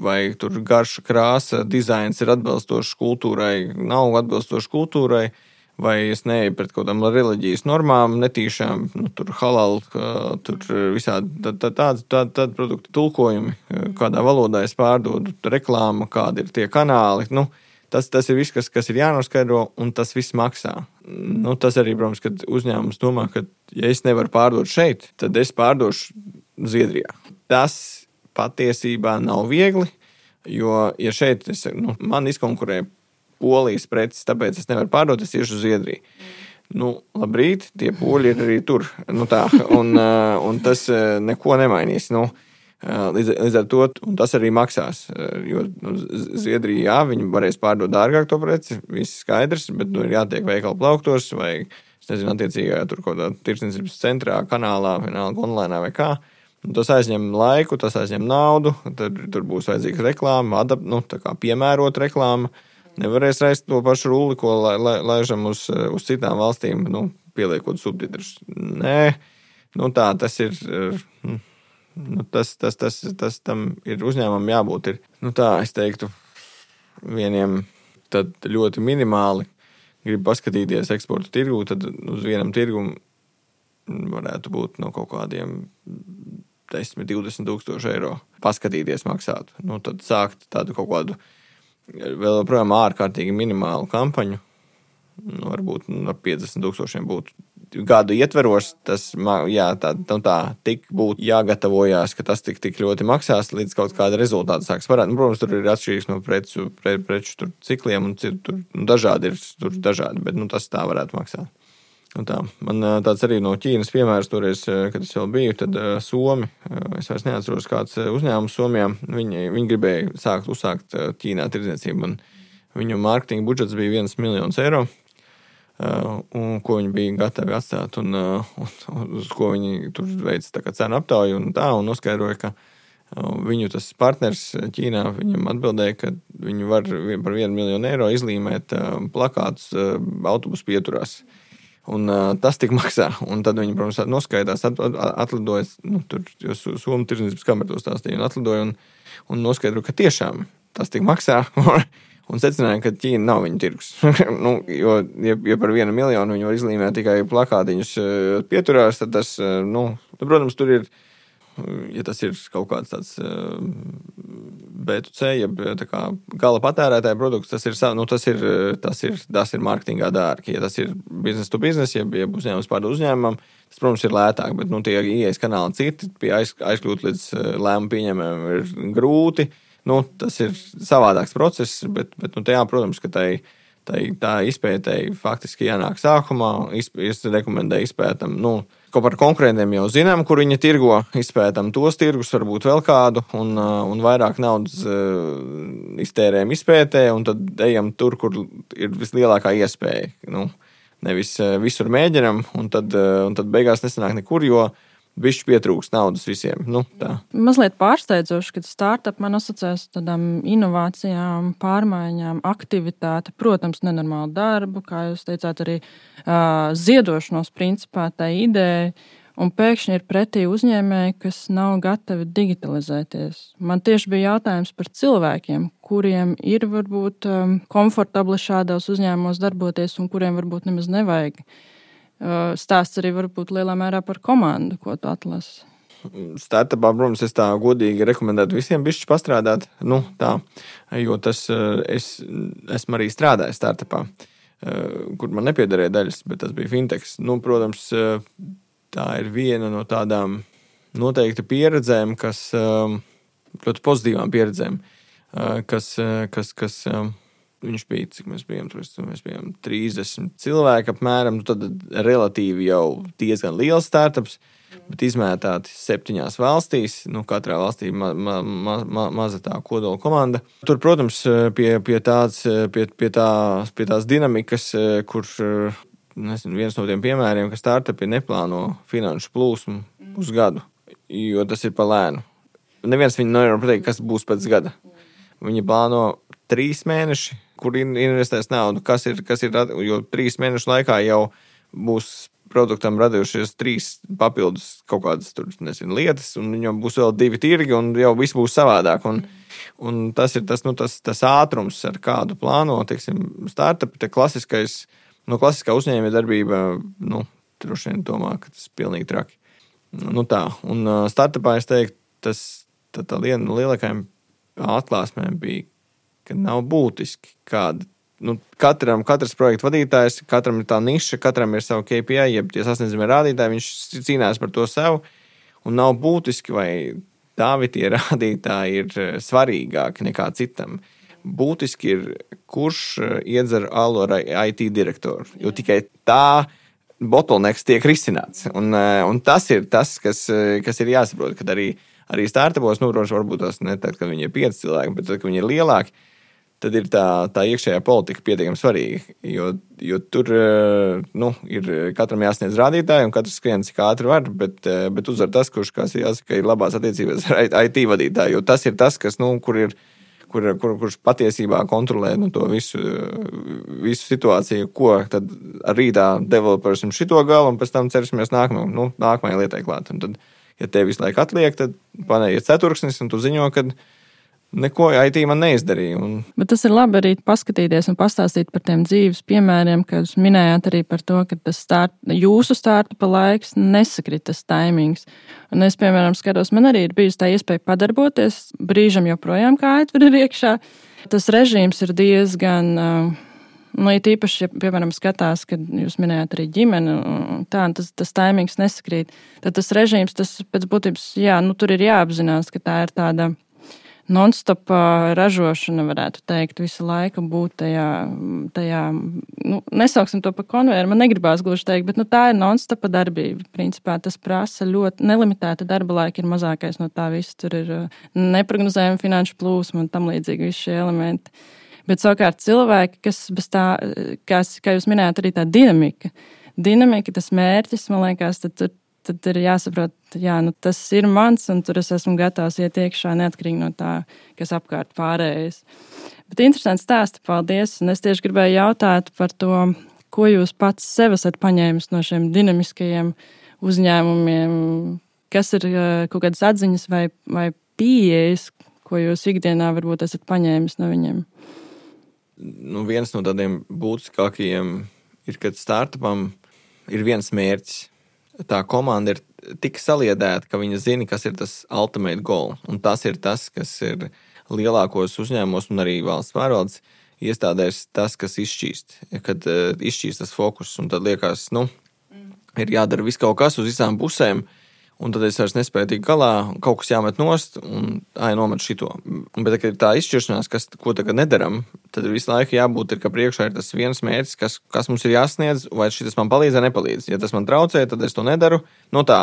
vai tur garša krāsa, dizains ir atbilstošs kultūrai, nav atbilstošs kultūrai, vai es neeju pret kaut kādām reliģijas normām, netīšām, nu, tur halal, tur visādi tādi tā, tā produktu tulkojumi, kādā valodā es pārdodu, reklāma, kādi ir tie kanāli, nu, tas, tas ir viss, kas, kas ir jānoskaidro, un tas viss maksā. Nu, tas arī, protams, kad uzņēmums domā, ka ja es nevaru pārdot šeit, tad es pārdošu Zviedrijā. Tas patiesībā nav viegli, jo, ja šeit es, nu, man izkonkurē Polijas preces, tāpēc es nevaru pārdot, es iešu uz Zviedriju. Nu, labrīt, tie poļi ir arī tur. Nu tā, un, un tas neko nemainīs. Nu, līdz, līdz ar to, un tas arī maksās, jo nu, Zviedrija, jā, viņi varēs pārdot dārgāk to preci, viss skaidrs, bet nu, ir jātiek veikalu plauktos vai, es nezinu, attiecīgā tur kaut kādā tirdzniecības centrā, kanālā, vienalga online vai kā. Tas aizņem laiku, tas aizņem naudu, tad tur būs vajadzīga reklāma, adap, nu, tā kā piemērot reklāma. Nevarēs reist to pašu rulli, ko la, la, laižam uz, uz citām valstīm, nu, pieliekot subtitrus. Nē, nu tā, tas ir, nu, tas, tas, tas, tas tam ir uzņēmumam jābūt. Ir, nu tā, es teiktu, vieniem tad ļoti minimāli grib paskatīties eksporta tirgu, tad uz vienam tirgumu varētu būt no kaut kādiem desmit, divdesmit tūkstoši eiro paskatīties maksāt. Nu, tad sākt tādu kaut kādu vēl joprojām ārkārtīgi minimālu kampaņu. Nu, varbūt nu, ar piecdesmit tūkstošiem būtu gadu ietveros. Tas, jā, tā, tā, tā tik būtu jāgatavojās, ka tas tik, tik ļoti maksās, līdz kaut kāda rezultāta sāks varēt. Nu, protams, tur ir atšķirīgs no preču, pre, preču tur cikliem, un tur nu, dažādi ir tur dažādi, bet nu, tas tā varētu maksāt. Un tā. Man tāds arī no Ķīnas piemērs toreiz, kad es vēl biju, tad Somi, es vairs neatceros kāds uzņēmums Somijā, viņi, viņi gribēja sākt uzsākt Ķīnā tirdzniecību, un viņu mārketinga budžets bija viens miljons eiro. Uh, un ko viņi bija gatavi atstāt, un, uh, un, un uz ko viņi tur veica tā kā cenu aptauju un tā, un noskaidroja, ka uh, viņu tas partners Ķīnā viņam atbildēja, ka viņi var par vienu miljonu eiro izlīmēt uh, plakātus uh, autobusu pieturās. Un uh, tas tik maksā, un tad viņi, protams, noskaidās, at, at, atlidoja, nu, tur, jo Somu tirdzniecības kamera to stāstīja, un atlidoja, un, un noskaidroja, ka tiešām tas tik maksā, un secināja, ka Ķīna nav viņu tirgus. nu, jo, ja, ja par vienu miljonu viņi var izlīmēt tikai plakātiņus pieturās, tad tas, nu, protams, tur ir, ja tas ir kaut kāds tāds B two C, ja tā kā gala patērētāja produkts, tas ir, nu, tas ir, tas ir, tas ir mārketingā dārgi. Ja tas ir business to business, ja, ja uzņēmums pār uzņēmumam, tas, protams, ir lētāk, bet, nu, tie ieejas kanāli citi, pie aiz, aizkļūt līdz lēmumu pieņēmējiem ir grūti. Nu, tas ir savādāks process, bet, bet nu, tajā, protams, ka tai, tai, tā izpētēji faktiski jānāk sākumā. Es rekomendēju izpētam, nu, ko par konkurentiem jau zinām, kur viņi tirgo, izpētam tos tirgus, varbūt vēl kādu, un, un vairāk naudas uh, iztērējam izpētē, un tad ejam tur, kur ir vislielākā iespēja. Nu, nevis uh, visur mēģinam, un tad, uh, un tad beigās nesanāk nekur, jo bišķi pietrūks naudas visiem. Nu, tā. Mazliet pārsteidzoši, ka startup man asociēs tādām inovācijām, pārmaiņām, aktivitāti, protams, nenormālu darbu, kā jūs teicāt, arī uh, ziedošanos principā tā ideja, un pēkšņi ir pretī uzņēmēji, kas nav gatavi digitalizēties. Man tieši bija jautājums par cilvēkiem, kuriem ir varbūt um, komfortabli šādos uzņēmumos darboties un kuriem varbūt nemaz nevajag. Stāsts arī varbūt lielā mērā par komandu, ko tu atlasi. Startupā, protams, es tā godīgi rekomendētu visiem bišķi pastrādāt, nu tā, jo tas, es esmu arī strādājis startupā, kur man nepiedarēja daļas, bet tas bija fintechs. Nu, protams, tā ir viena no tādām noteikti pieredzēm, kas, ļoti pozitīvām pieredzēm, kas, kas, kas viņš bija, cik mēs bijām, tur mēs bijām trīsdesmit cilvēki apmēram, nu tad relatīvi jau diezgan liels startups, bet izmētāti septiņās valstīs, nu katrā valstī ma, ma, ma, ma, maza tā kodola komanda. Tur, protams, pie, pie, tāds, pie, pie, tā, pie tās dinamikas, kur, nezinu, viens no tiem piemēriem, ka startupi neplāno finanšu plūsmu uz gadu, jo tas ir pa lēnu. Neviens viņi nevar pateikt, kas būs pēc gada. Viņi plāno trīs mēneši, kur investēs naudu, kas ir, kas ir, jo trīs mēnešu laikā jau būs produktam radījušies trīs papildus kaut kādas tur, nezinu, lietas, un viņam būs vēl divi tirgi, un jau viss būs savādāk. Un, un tas ir tas, nu, tas, tas ātrums, ar kādu plāno, teiksim, startup, te klasiskais, nu, klasiskā uzņēmē darbība, nu, droši vien domā, ka tas ir pilnīgi traki. Nu, tā, un startupā es teiktu, tas, tā, tā viena no lielākajām atklāsmēm bija, ka nav būtiski kāda. Nu, katram, katrs projekta vadītājs, katram ir tā niša, katram ir savu K P I, jeb tie sasniedzamie rādītāji, viņš cīnās par to sev, un nav būtiski, vai tavi tie rādītāji ir svarīgāki nekā citam. Būtiski ir, kurš iedzer alu ar I T direktoru, jo tikai tā bottlenecks tiek risināts, un, un tas ir tas, kas, kas ir jāsaprot, kad arī, arī startupos, nu, protams, varbūt tas ne tad, kad viņi ir pieci cilvēki, bet tad, kad viņi ir lielāki, tad ir tā, tā iekšējā politika pietiekami svarīga, jo, jo tur, nu, ir katram jāsniedz rādītāji, un katrs skrien cik ātri var, bet, bet uzvar tas, kurš, kas jāsaka, ir labās attiecībās ar I T vadītāju, jo tas ir tas, kas, nu, kur ir, kur, kur, kurš patiesībā kontrolē, nu, to visu, visu situāciju, ko tad rītā developers un šito galu, un pēc tam cerasimies nākamajai, nu, nākamajai lietai klāt. Un tad, ja tev visu laiku atliek, tad paneiet ceturksnis, un tu ziņo, kad neko I T man neizdarīja. Un... Bet tas ir labi arī paskatīties un pastāstīt par tiem dzīves piemēriem, kad jūs minējāt arī par to, ka tas start, jūsu startupa laiks nesakrit tas taimings. Un es, piemēram, skatos, man arī ir bijusi tā iespēja padarboties, brīžam joprojām kā aitver ir iekšā, Tas režīms ir diezgan, nu, ja tīpaši, ja, piemēram, skatās, kad jūs minējāt arī ģimeni, tā, tas, tas taimings nesakrīt, tad tas režīms, tas pēc būtības, jā, nu, tur ir jāapzinās, ka tā ir tāda non-stop ražošana, varētu teikt, visu laiku būt tajā, tajā nu, nesauksim to par konvejeru, man negribās gluži teikt, bet nu, tā ir non-stop darbība. Principā tas prasa ļoti nelimitēta darba laika, ir mazākais no tā viss. Tur ir neprognozējama finanšu plūsma un tam līdzīgi visi šie elementi. Bet savukārt cilvēki, kas bez tā, kas, kā jūs minējāt, arī tā dinamika, dinamika, tas mērķis, man liekas, tad tur tad ir jāsaprot, jā, nu, tas ir mans, un tur es esmu gatavs iet iekšā neatkarīgi no tā, kas apkārt pārējais. Bet interesanti stāsti, paldies, un es tieši gribēju jautāt par to, ko jūs pats sev esat paņēmis no šiem dinamiskajiem uzņēmumiem, kas ir kaut kādas atziņas vai, vai pieejas, ko jūs ikdienā varbūt esat paņēmis no viņiem? Nu, viens no tādiem būtiskākajiem ir, kad startupam ir viens mērķis. Tā komanda ir tik saliedēta, ka viņi zina, kas ir tas ultimate goal. Un tas ir tas, kas ir lielākos uzņēmumos un arī valsts pārvaldes iestādēs, tas, kas izšķīst. Kad uh, izšķīst tas fokus, un tad liekas, nu, ir jādara viss kaut kas uz visām pusēm, un tad es vairs nespēju tikt galā, kaut kas jāmet nost, un ai, nomet šito. Bet, kad ir tā izšķiršanās, kas, ko tagad nedaram, tad visu laiku jābūt, ir, ka priekšā ir tas viens mērķis, kas, kas mums ir jāsniedz, vai šis man palīdz vai nepalīdz. Ja tas man traucē, tad es to nedaru. Nu tā,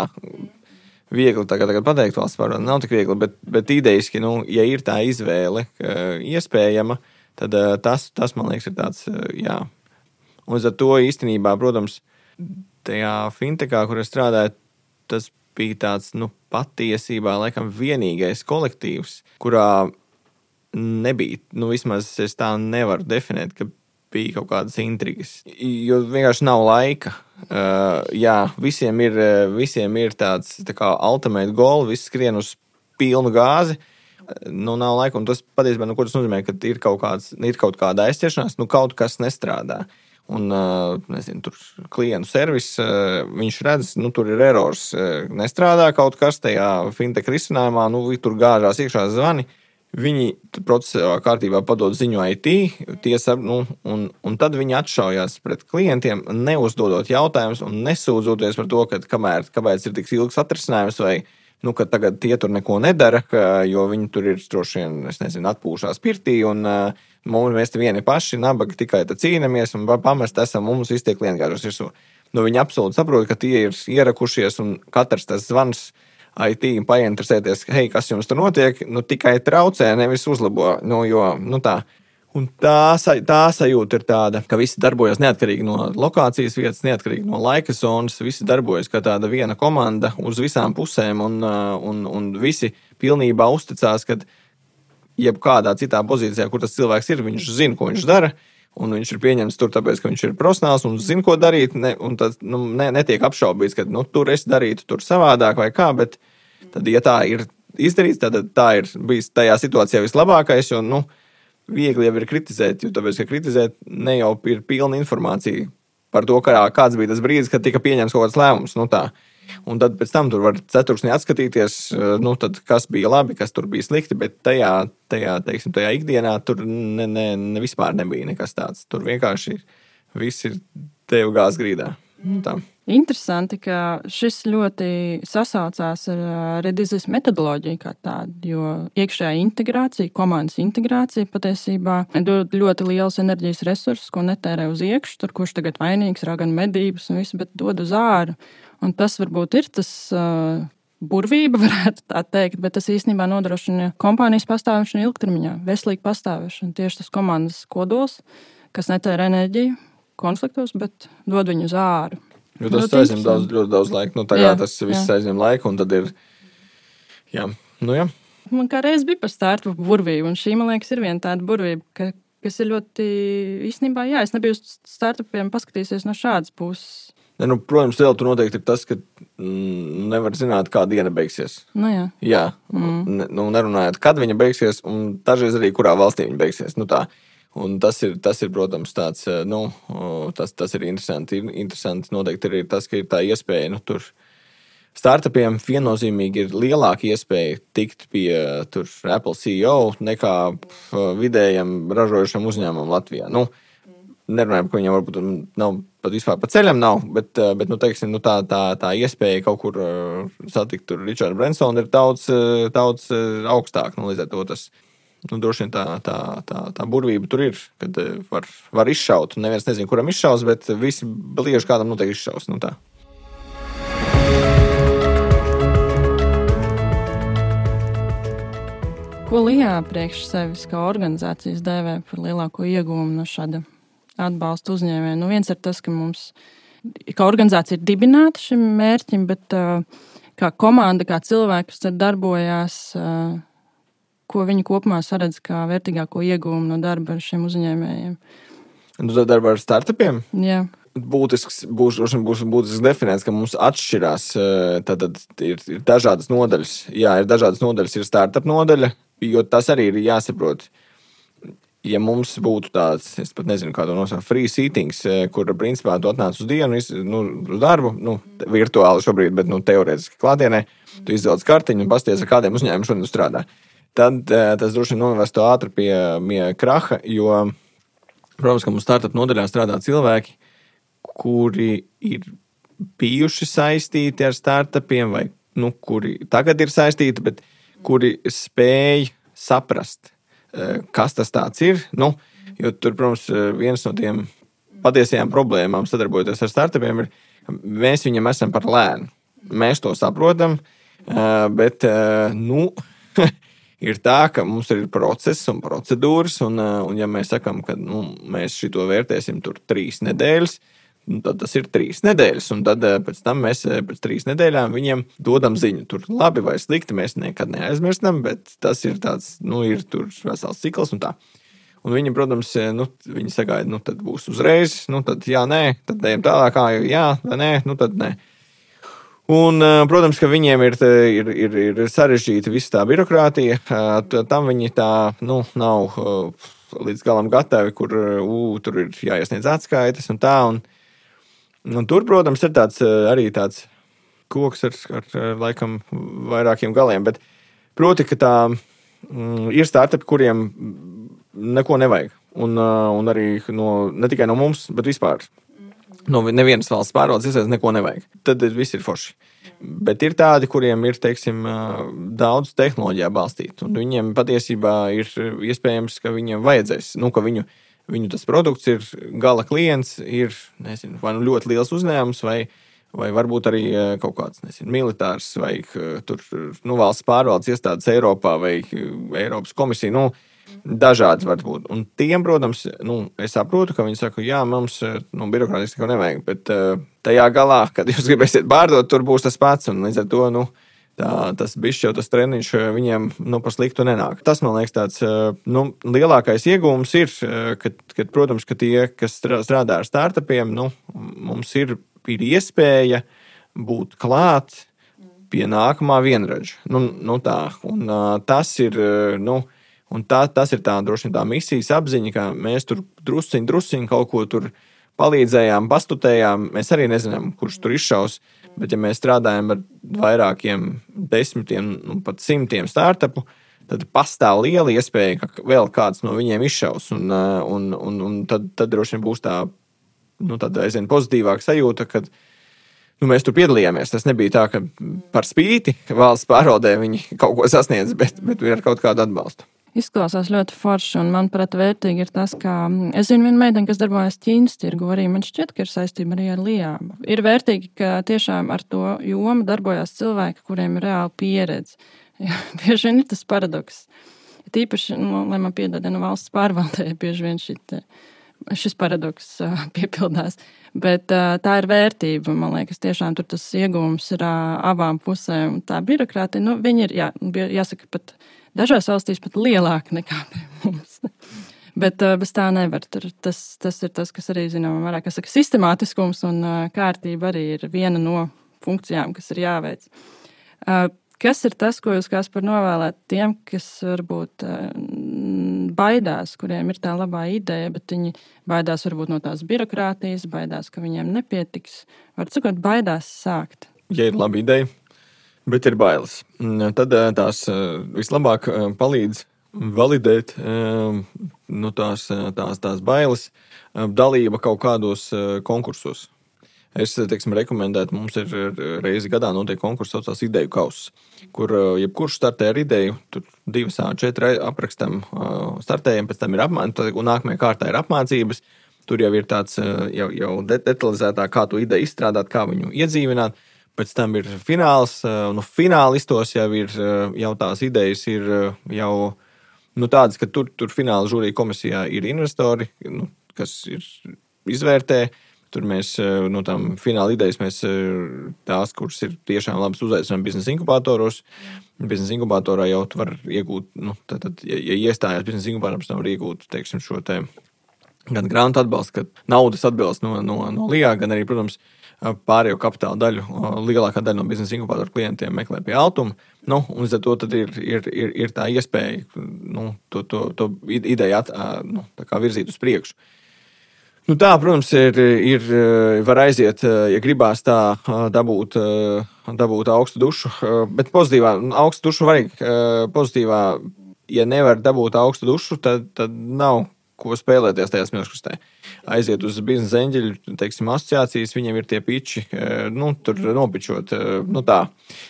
viegli tagad, tagad pateikt valsts pārvalde, nav tik viegli, bet, bet idejiski, nu, ja ir tā izvēle iespējama, tad tas, tas, man liekas, ir tāds, jā. Un uz ar to īstenībā, protams, tajā fintechā, kur es strādāju, tas bija tāds, nu, patiesībā, laikam, vienīgais kolektīvs, kurā nebija, nu, vismaz es tā nevaru definēt, ka bija kaut kādas intrigas, jo vienkārši nav laika. Uh, jā, visiem ir, visiem ir tāds, tā kā ultimate goal, viss skrien uz pilnu gāzi, nu, nav laika, un tas patiesībā, nu, ko tas nozīmē, ka ir kaut kāds, ir kaut kāda aizķeršanās, nu, kaut kas nestrādā. Un, nezinu, tur klientu servis, viņš redz, nu, tur ir erors, nestrādā kaut kas tajā fintech risinājumā, nu, tur gāžās iekšā zvani, viņi procesā kārtībā padod ziņu I T, tiesa, nu, un, un tad viņi atšaujās pret klientiem, neuzdodot jautājumus un nesūdzoties par to, ka kamēr, kāpēc ir tik ilgs atrisinājums vai, nu, ka tagad tie tur neko nedara, ka, jo viņi tur ir droši vien, es nezinu, atpūšās pirtī un uh, mums mēs te vieni paši, nabaga tikai te cīnamies un pamest esam, mums visi tie klienti gāžas virsū. Nu, viņi absolūti saprot, ka tie ir ierakušies un katrs tas zvans I T painteresēties, hei, kas jums tur notiek, nu, tikai traucē, nevis uzlabo, nu, jo, nu, tā. Un tā, tā sajūta ir tāda, ka visi darbojas neatkarīgi no lokācijas vietas, neatkarīgi no laika zonas, visi darbojas kā tāda viena komanda uz visām pusēm un, un, un visi pilnībā uzticās, ka jebkādā citā pozīcijā, kur tas cilvēks ir, viņš zina, ko viņš dara, un viņš ir pieņemts tur tāpēc, ka viņš ir profesionāls un zina, ko darīt, ne, un tad nu, ne, netiek apšaubīts, ka nu, tur es darītu tur savādāk vai kā, bet tad, ja tā ir izdarīts, tad tā ir bijis tajā situācijā vislabākais, jo, nu, viegli jau ir kritizēt, jo tāpēc, ka kritizēt ne jau ir pilna informācija par to, kā, kāds bija tas brīdis, kad tika pieņemts kaut kāds lēmums, nu tā. Un tad pēc tam tur var ceturksnī atskatīties, nu tad kas bija labi, kas tur bija slikti, bet tajā, tajā, teiksim, tajā ikdienā tur ne, ne, ne vispār nebija nekas tāds. Tur vienkārši viss ir tev gāz grīdā. Nu, tā. Interesanti, ka šis ļoti sasaucās ar redizes metodoloģiju kā tādu, jo iekšējā integrācija, komandas integrācija patiesībā dod ļoti liels enerģijas resursus, ko netērē uz iekšu, tur kurš tagad vainīgs, rā gan medības un visu, bet dod uz āru. Un tas varbūt ir tas uh, burvība, varētu tā teikt, bet tas īstenībā nodrošina kompānijas pastāvēšanu ilgtermiņā, veselīgu pastāvēšanu. Tieši tas komandas kodols, kas netērē enerģiju konfliktos, bet dod viņu uz āru. Jo tas aizņem daudz, ļoti daudz laika. Nu, tagad jā, tas viss jā. aizņem laiku, un tad ir, jā, nu jā. Man kā reiz bija par startup burvību, un šī, man liekas, ir viena tāda burvība, ka, kas ir ļoti, īstenībā, jā, es nebiju uz startupiem paskatīsies no šādas puses. Ne, nu, protams, vēl tur noteikti ir tas, ka mm, nevar zināt, kā diena beigsies. Nu jā. Jā, mm. ne, nu, nerunājot, kad viņa beigsies, un dažreiz arī, kurā valstī viņa beigsies, nu tā. Un tas ir, tas ir, protams, tāds, nu, tas, tas ir interesanti. Interesanti noteikti ir tas, ka ir tā iespēja, nu, tur startupiem viennozīmīgi ir lielāka iespēja tikt pie tur, Apple C E O nekā vidējam ražojušam uzņēmumam Latvijā. Nu, nerunājam, ka viņam varbūt nav pat vispār pa ceļam nav, bet, bet nu, teiksim, nu, tā, tā, tā iespēja kaut kur satikt tur Richardu Bransonu ir daudz, daudz augstāk. Nu, līdz ar to tas, nu, droši vien tā, tā, tā, tā burvība tur ir, kad var, var izšaut. Neviens nezin, kuram izšaus, bet visi lieži kādam noteikti izšaus. Nu, tā. Ko Lijā priekš sevis kā organizācijas dēvē par lielāko ieguvumu no šāda atbalsta uzņēmēja? Nu, viens ir tas, ka mums, kā organizācija ir dibināta šim mērķim, bet uh, kā komanda, kā cilvēki, kas tad darbojās, uh, ko viņi kopumā saredz kā vērtīgāko ieguvumu no darba ar šiem uzņēmējiem. Un tu darba ar startupiem? Jā. Būtisks, būs, būs būtisks definēts, ka mums atšķirās, tad ir, ir dažādas nodaļas. Jā, ir dažādas nodaļas, ir startup nodaļa, jo tas arī ir jāsaprot. Ja mums būtu tāds, es pat nezinu, kā to nosaukt, free seatings, kur principā tu atnāc uz dienu, nu, uz darbu, nu, virtuāli šobrīd, bet nu, teorētiski klātienē, tu izvelc kartiņu un pasties, ar kādiem uzņēmumiem šodien strādā. Tad tas droši vien novestu ātri pie, pie kraha, jo, protams, ka mums startup nodaļā strādā cilvēki, kuri ir bijuši saistīti ar startupiem, vai nu, kuri tagad ir saistīti, bet kuri spēj saprast, kas tas tāds ir. Nu, jo tur, protams, viens no tiem patiesajām problēmām sadarbojoties ar startupiem ir, mēs viņam esam par lēnu. Mēs to saprotam, bet, nu, ir tā, ka mums ir process un procedūras, un, un ja mēs sakam, ka nu, mēs šito vērtēsim tur trīs nedēļas, tad tas ir trīs nedēļas, un tad pēc tam mēs pēc trīs nedēļām viņiem dodam ziņu. Tur labi vai slikti mēs nekad neaizmirstam, bet tas ir tāds, nu, ir tur vesels cikls un tā. Un viņi, protams, nu, viņi sagaida, nu, tad būs uzreiz, nu, tad jā, nē, tad ejam tālāk, kā jā, vai nē, nu, tad nē. Un, protams, ka viņiem ir, ir, ir, ir sarežģīta visa tā birokrātija, tam viņi tā, nu, nav līdz galam gatavi, kur, ū, tur ir jāiesniedz atskaites un tā, un Un tur, protams, ir tāds, arī tāds koks ar, ar, laikam, vairākiem galiem, bet proti, ka tā mm, ir startupi, kuriem neko nevajag. Un, un arī no, ne tikai no mums, bet vispār. No nevienas valsts pārvaldes iestādes neko nevajag. Tad viss ir forši. Bet ir tādi, kuriem ir, teiksim, daudz tehnoloģijā balstīt. Un viņiem patiesībā ir iespējams, ka viņiem vajadzēs, nu, ka viņu Viņu tas produkts ir gala klients, ir nezinu, vai nu ļoti liels uzņēmums, vai, vai varbūt arī kaut kāds nezinu, militārs, vai tur, nu, valsts pārvaldes iestādes Eiropā, vai Eiropas komisija. Nu, dažādi var būt. Un tiem, protams, nu, es saprotu, ka viņi saka, jā, mums nu, birokrātiski neko nevajag, bet tajā galā, kad jūs gribēsiet pārdot, tur būs tas pats. Un līdz ar to, nu, Tā, tas bišķi jau tas treniņš viņiem nu, par sliktu nenāk. Tas, man liekas, tāds nu, lielākais iegūms ir, kad, kad, protams, ka tie, kas strādā ar startupiem, nu, mums ir, ir iespēja būt klāt pie nākamā vienradža. Nu, nu tā, un tas ir, nu, un tā, tas ir tā, droši vien tā misijas apziņa, ka mēs tur drusciņ, drusciņ kaut ko tur palīdzējām, pastutējām. Mēs arī nezinām, kurš tur izšaus. Bet, ja mēs strādājam ar vairākiem desmitiem, nu, pat simtiem startupu, tad pastāv liela iespēja, ka vēl kāds no viņiem izšaus. Un, un, un, un tad, tad droši vien būs tā, nu, tāda aizvien pozitīvāka sajūta, kad nu, mēs tur piedalījāmies. Tas nebija tā, ka par spīti valsts pārvaldē viņi kaut ko sasniedz, bet, bet ar kaut kādu atbalstu. Izklausās ļoti forši, un manuprāt, vērtīgi ir tas, ka es zinu vienu meiteni, kas darbojas Ķīnas tirgu, arī man šķiet, ka ir saistība arī ar Lijā. Ir vērtīgi, ka tiešām ar to jomu darbojās cilvēki, kuriem ir reāla pieredze. Bieži vien ir tas paradoks. Tīpaši, nu, lai man piedod, no valsts pārvaldē, bieži vien šit, šis paradoks piepildās. Bet tā ir vērtība, man liekas, tiešām tur tas iegūms ir abām pusēm. Tā birokrātija, nu, viņi ir, jā, jāsaka, pat dažās valstīs pat lielāka nekā pie mums. Bet bez tā nevar. Tur, tas, tas ir tas, kas arī, zinām, vairāk, kas saka, sistemātiskums un kārtība arī ir viena no funkcijām, kas ir jāveic. Kas ir tas, ko jūs Kaspar novēlēt tiem, kas varbūt baidās, kuriem ir tā labā ideja, bet viņi baidās varbūt no tās birokrātijas, baidās, ka viņiem nepietiks. Var sakot, baidās sākt. Ja ir laba ideja, bet ir bailes. Tad tās vislabāk palīdz validēt nu, tās, tās, tās bailes, dalība kaut kādos konkursos. Es teiksim, rekomendētu, mums ir reizi gadā notiek konkurss, saucās ideju kauss, kur jebkurš startē ar ideju, tur divas A četri aprakstam startējam, pēc tam ir apmācības, un nākamajā kārtā ir apmācības. Tur jau ir tāds jau, jau detalizētāk, kā to ideju izstrādāt, kā viņu iedzīvināt. Pēc tam ir fināls, nu finālistos jau ir, jau tās idejas ir jau nu, tādas, ka tur, tur fināla žūrija komisijā ir investori, nu, kas ir izvērtē. Tur mēs no tām fināla idejas, mēs tās, kuras ir tiešām labas uzaicinām biznesa inkubatoros. Biznesa inkubatorā jau tu var iegūt, nu, tad, tad, ja, ja iestājās biznesa inkubatorā, pēc tam var iegūt, teiksim, šo te gan grantu atbalstu, gan naudas atbalstu no, no, no L I A, gan arī, protams, pārējo kapitāla daļu. Lielākā daļa no biznesa inkubatoru klientiem meklē pie Altuma. Nu, un līdz ar to tad ir, ir, ir, ir tā iespēja nu, to, to, to ideju at, nu, tā kā virzīt uz priekšu. Nu tā, protams, ir, ir, var aiziet, ja gribās tā dabūt, dabūt augstu dušu, bet pozitīvā, augstu dušu vajag pozitīvā, ja nevar dabūt augstu dušu, tad, tad nav ko spēlēties tajā smilškastē. Aiziet uz biznesa eņģeļu, teiksim, asociācijas, viņiem ir tie piči, nu, tur nopičot, nu tā.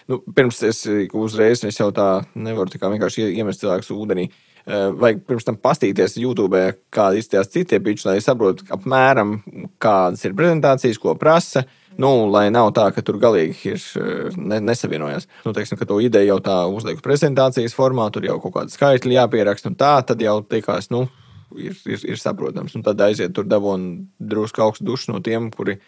Nu, pirms es uzreiz, es jau tā nevaru tā kā vienkārši iemest cilvēkus ūdenī. Vajag pirms tam pastīties YouTube, kādi izstījās citie piči, lai saprotu apmēram, kādas ir prezentācijas, ko prasa, nu, lai nav tā, ka tur galīgi ir ne, nesavienojās. Nu, teiksim, ka to ideju jau tā uzliek prezentācijas formā, tur jau kaut kāda skaitļi jāpieraksta, un tā, tad jau teikās, nu, ir, ir, ir saprotams. Un tad aiziet tur dabon drusku augstu dušu no tiem, kuri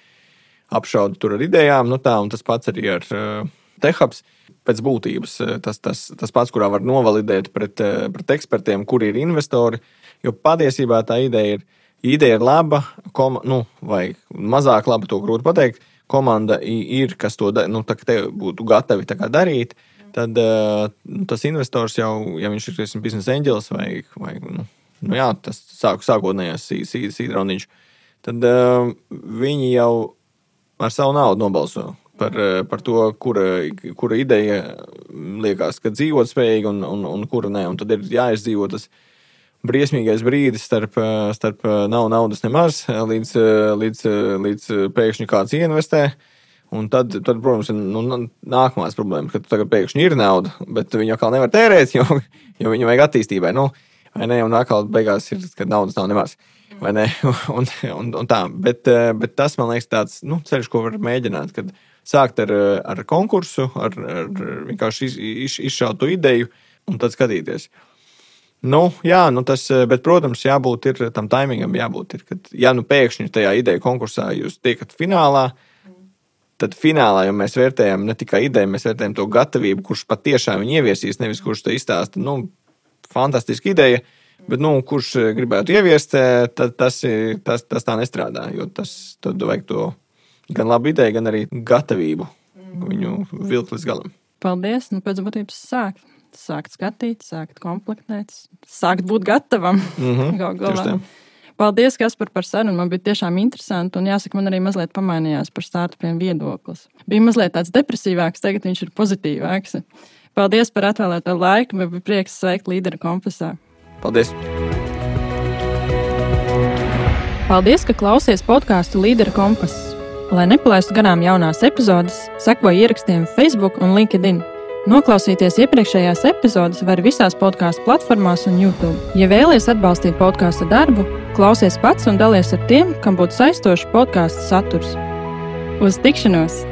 apšauda tur ar idejām, nu tā, un tas pats arī ar uh, TechHubs. Pēc būtības tas, tas, tas pats, kurā var novalidēt pret, pret ekspertiem, kuri ir investori, jo patiesībā tā ideja ir, ideja ir laba, kom, nu, vai mazāk laba, to grūti pateikt, komanda ir, kas to nu, tā, te būtu gatavi tā kā darīt, tad nu, tas investors jau, ja viņš ir biznesa eņģelis vai, vai nu, nu jā, tas sāk, sākotnējās sīdrauniņš, tad uh, viņi jau ar savu naudu nobalso. Par, par to, kura, kura ideja liekas, ka dzīvot spējīgi un, un, un kura ne. Un tad ir jāizdzīvo tas briesmīgais brīdis starp, starp nav naudas nemaz, līdz, līdz, līdz pēkšņi kāds ieinvestē. Un tad, tad protams, ir nu, nākamās problēmas, ka tagad pēkšņi ir nauda, bet viņi atkal nevar tērēt, jo, jo viņu vajag attīstībai. Nu, vai ne? Un atkal beigās ir, ka naudas nav nemaz. Vai ne? Un, un, un tā. Bet, bet tas, man liekas, tāds nu, ceļš, ko var mēģināt, kad sākt ar, ar konkursu, ar, ar vienkārši iz, iz, izšaut to ideju un tad skatīties. Nu, jā, nu tas, bet, protams, jābūt ir, tam taimingam jābūt ir, kad, ja nu pēkšņi tajā ideju konkursā jūs tiekat finālā, tad finālā jau mēs vērtējam ne tikai ideju, mēs vērtējam to gatavību, kurš patiešām viņu ieviesīs, nevis kurš te izstāsta, nu, fantastiska ideja, bet, nu, kurš gribētu ieviest, tad tas, tas, tas tā nestrādā, jo tas, tad vajag to gan labu ideju, gan arī gatavību viņu vilkt līdz galam. Paldies. Nu, pēc būtības sākt. Sākt skatīt, sākt komplektēt, sākt būt gatavam. Mm-hmm. Gal galā. Paldies, Kaspar, par sarunu. Man bija tiešām interesanti, un jāsaka, man arī mazliet pamainījās par startupiem viedoklis. Bija mazliet tāds depresīvāks, tagad viņš ir pozitīvāks. Paldies par atvēlēto laiku. Man bija prieks sveikt Līdera kompasā. Paldies. Paldies, ka klausies podcastu Līdera kompass. Lai nepalaistu garām jaunās epizodes, sekoji ierakstiem Facebook un LinkedIn. Noklausīties iepriekšējās epizodes var visās podcastu platformās un YouTube. Ja vēlies atbalstīt podcastu darbu, klausies pats un dalies ar tiem, kam būtu saistošs podcastu saturs. Uz tikšanos!